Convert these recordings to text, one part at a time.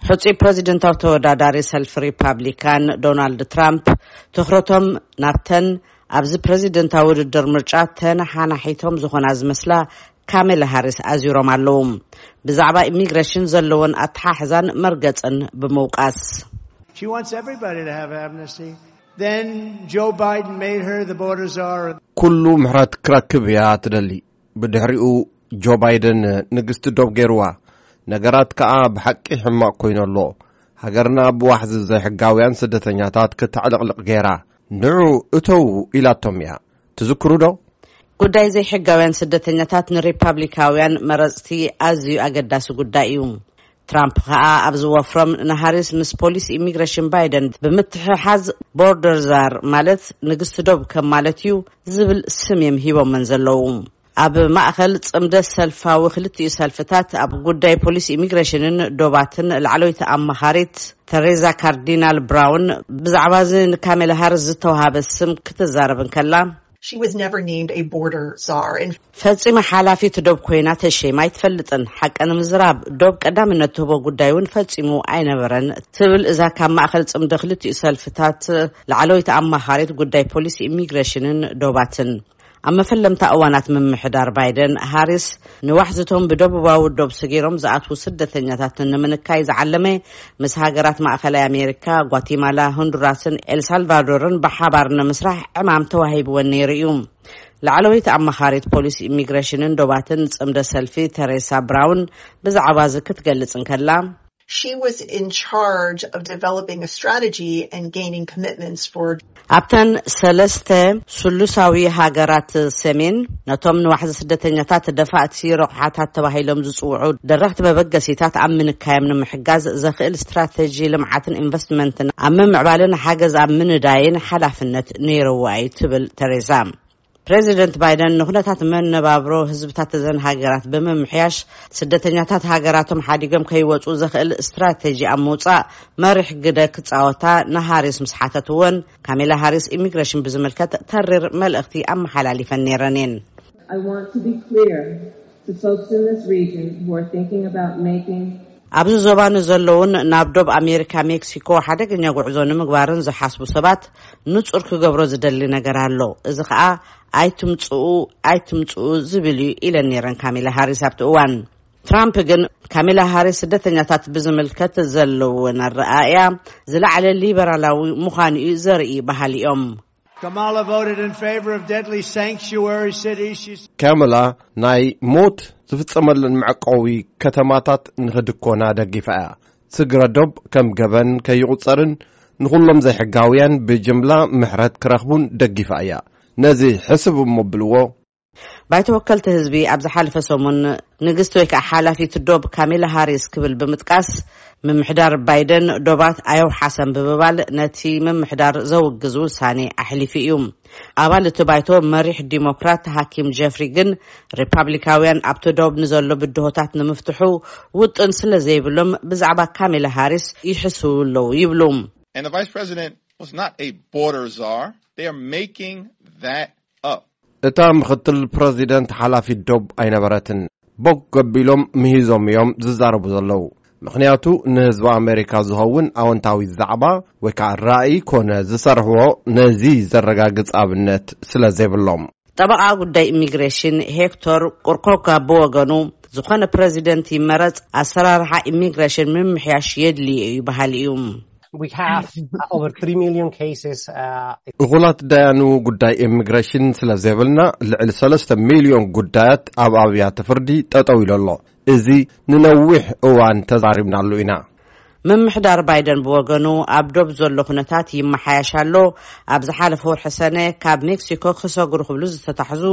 ሕጹይ ፕረዚደንታዊ ተወዳዳሪ ሰልፊ ሪፓብሊካን ዶናልድ ትራምፕ ትኹረቶም ናብተን ኣብዚ ፕረዚደንታዊ ውድድር ምርጫ ተነሓናሒቶም ዝኾና ዝመስላ ካሜላ ሃሪስ ኣዚሮም ኣለዉ። ብዛዕባ ኢሚግሬሽን ዘለዎን ኣተሓሕዛን መርገጽን ብምውቃስ። She wants everybody to have amnesty. Then Joe Biden made her the border czar. ኩሉ ምሕረት ክረክብ እያ ትደሊ። ብድሕሪኡ ጆ ባይደን ንግስቲ ዶብ ገይርዋ። ነገራት ከኣ ብሓቂ ሕማቕ ኮይኑ ኣሎ። ሃገርና ብዋሕዚ ዘይሕጋውያን ስደተኛታት ክተዕልቕልቕ ገይራ። ንዑ እተው ኢላቶም እያ። ትዝክሩ ዶ? ጉዳይ ዘይሕጋውያን ስደተኛታት ንሪፓብሊካውያን መረጽቲ ኣዝዩ ኣገዳሲ ጉዳይ እዩ። ትራምፕ ከኣ ኣብ ዝወፍሮም ንሃሪስ ምስ ፖሊስ ኢሚግሬሽን ባይደን ብምትሕሓዝ ቦርደር ዛር ማለት ንግስቲ ዶብ ከም ማለት እዩ ዝብል ስም እዮም ሂቦመን ዘለዉ። ኣብ ማእኸል ጽምደ ሰልፋዊ ክልቲኡ ሰልፍታት ኣብ ጉዳይ ፖሊስ ኢሚግሬሽንን ዶባትን ላዕለወይቲ ኣማኻሪት ተሬዛ ካርዲናል ብራውን ብዛዕባ እዚ ንካሜላ ሃሪስ ዝተዋሃበ ስም ክትዛረብ እንከላ፣ She was never named a border czar. And ፈጺመ ሓላፊት ዶብ ኮይና ተሸይማ ኣይትፈልጥን። ሓቂ ንምዝራብ ዶብ ቀዳምነት ትህቦ ጉዳይ እውን ፈጺሙ ኣይነበረን ትብል እዛ ካብ ማእኸል ጽምደ ክልቲኡ ሰልፍታት ላዕለወይቲ ኣማኻሪት ጉዳይ ፖሊስ ኢሚግሬሽንን ዶባትን። ኣብ መፈለምታ እዋናት ምምሕዳር ባይደን ሃሪስ ንዋሕዝቶም ብደቡባዊ ዶብ ሰጊሮም ዝኣትዉ ስደተኛታት ንምንካይ ዝዓለመ ምስ ሃገራት ማእኸላይ ኣሜሪካ፣ ጓቲማላ፣ ሆንዱራስን ኤልሳልቫዶርን ብሓባር ንምስራሕ ዕማም ተዋሂብወን ነይሩ እዩ። ላዕለወይቲ ኣማኻሪት ፖሊስ ኢሚግሬሽንን ዶባትን ጽምደ ሰልፊ ተሬሳ ብራውን ብዛዕባ እዚ ክትገልጽ እንከላ፣ she was in charge of developing a strategy and gaining commitments for ኣብተን ሰለስተ ስሉሳዊ ሃገራት ሰሜን ነቶም ንዋሕዚ ስደተኛታት ደፋእቲ ረቑሓታት ተባሂሎም ዝጽውዑ ደረኽቲ መበገሲታት ኣብ ምንካዮም ንምሕጋዝ ዘኽእል ስትራተጂ ልምዓትን ኢንቨስትመንትን ኣብ ምምዕባልን ሓገዝ ኣብ ምንዳይን ሓላፍነት ነይርዋ እዩ ትብል ተሬዛ። ፕሬዚደንት ባይደን ንኩነታት መነባብሮ ህዝብታት እዘን ሃገራት ብምምሕያሽ ስደተኛታት ሃገራቶም ሓዲጎም ከይወፁ ዘኽእል ስትራተጂ ኣብ ምውፃእ መሪሕ ግደ ክፃወታ ንሃሪስ ምስ ሓተትወን፣ ካሜላ ሃሪስ ኢሚግሬሽን ብዝምልከት ተሪር መልእኽቲ ኣመሓላሊፈን ነይረን እየን። I want to be clear to folks in this region who are thinking about making ኣብዚ ዞባ ንዘለውን ናብ ዶብ ኣሜሪካ ሜክሲኮ ሓደገኛ ጉዕዞ ንምግባርን ዝሓስቡ ሰባት ንጹር ክገብሮ ዝደሊ ነገር ኣሎ። እዚ ኸኣ ኣይትምጽኡ ኣይትምጽኡ ዝብል እዩ ኢለን ነይረን ካሜላ ሃሪስ ኣብቲ እዋን። ትራምፕ ግን ካሜላ ሃሪስ ስደተኛታት ብዝምልከት ዘለውን ኣረኣእያ ዝለዓለ ሊበራላዊ ምዃኑ እዩ ዘርኢ በሃሊ እዮም። Kamala voted in favor of deadly sanctuary cities. She's ካመላ ናይ ሞት ዝፍጸመለን መዕቀዊ ከተማታት ንኽድኮና ደጊፋ እያ። ስግረ ዶብ ከም ገበን ከይቑጸርን ንኹሎም ዘይሕጋውያን ብጅምላ ምሕረት ክረኽቡን ደጊፋ እያ። ነዚ ሕስብ እሞ ብልዎ። ባይቶ ወከልቲ ህዝቢ ኣብ ዝሓለፈ ሰሙን ንግስቲ ወይ ከዓ ሓላፊት ዶብ ካሜላ ሃሪስ ክብል ብምጥቃስ፣ ምምሕዳር ባይደን ዶባት ኣየውሓሰን ብምባል ነቲ ምምሕዳር ዘውግዝ ውሳኔ ኣሕሊፉ እዩ። ኣባል እቲ ባይቶ መሪሕ ዲሞክራት ሃኪም ጀፍሪ ግን ሪፓብሊካውያን ኣብቲ ዶብ ንዘሎ ብድሆታት ንምፍትሑ ውጥን ስለ ዘይብሎም ብዛዕባ ካሜላ ሃሪስ ይሕስው ኣለዉ ይብሉ። And the vice president was not a border czar. They are making that up. እታ ምኽትል ፕረዚደንት ሓላፊት ዶብ ኣይነበረትን። ቦግ ገቢሎም ምሂዞም እዮም ዝዛረቡ ዘለዉ። ምኽንያቱ ንህዝቢ ኣሜሪካ ዝኸውን ኣወንታዊ ዛዕባ ወይ ከዓ ራእይ ኮነ ዝሰርሕዎ ነዚ ዘረጋግጽ ኣብነት ስለ ዘይብሎም። ጠበቓ ጉዳይ ኢሚግሬሽን ሄክቶር ቁርኮካ ብወገኑ፣ ዝኾነ ፕረዚደንት ይመረጽ ኣሰራርሓ ኢሚግሬሽን ምምሕያሽ የድልዩ እዩ በሃሊ እዩ። We have uh, over three million cases. Uh, እኹላት ዳያኑ ጉዳይ ኢሚግሬሽን ስለ ዘይብልና ልዕሊ ሰለስተ ሚልዮን ጉዳያት ኣብ ኣብያተ ፍርዲ ጠጠው ኢሉ ኣሎ። እዚ ንነዊሕ እዋን ተዛሪብናሉ ኢና። ምምሕዳር ባይደን ብወገኑ ኣብ ዶብ ዘሎ ኩነታት ይመሓያሽ ኣሎ። ኣብ ዝሓለፈ ወርሒ ሰነ ካብ ሜክሲኮ ክሰግሩ ክብሉ ዝተታሕዙ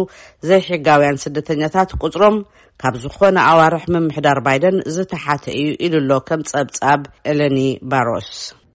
ዘይሕጋውያን ስደተኛታት ቁጽሮም ካብ ዝኾነ ኣዋርሕ ምምሕዳር ባይደን ዝተሓተ እዩ ኢሉ ኣሎ ከም ጸብጻብ ኤለኒ ባሮስ።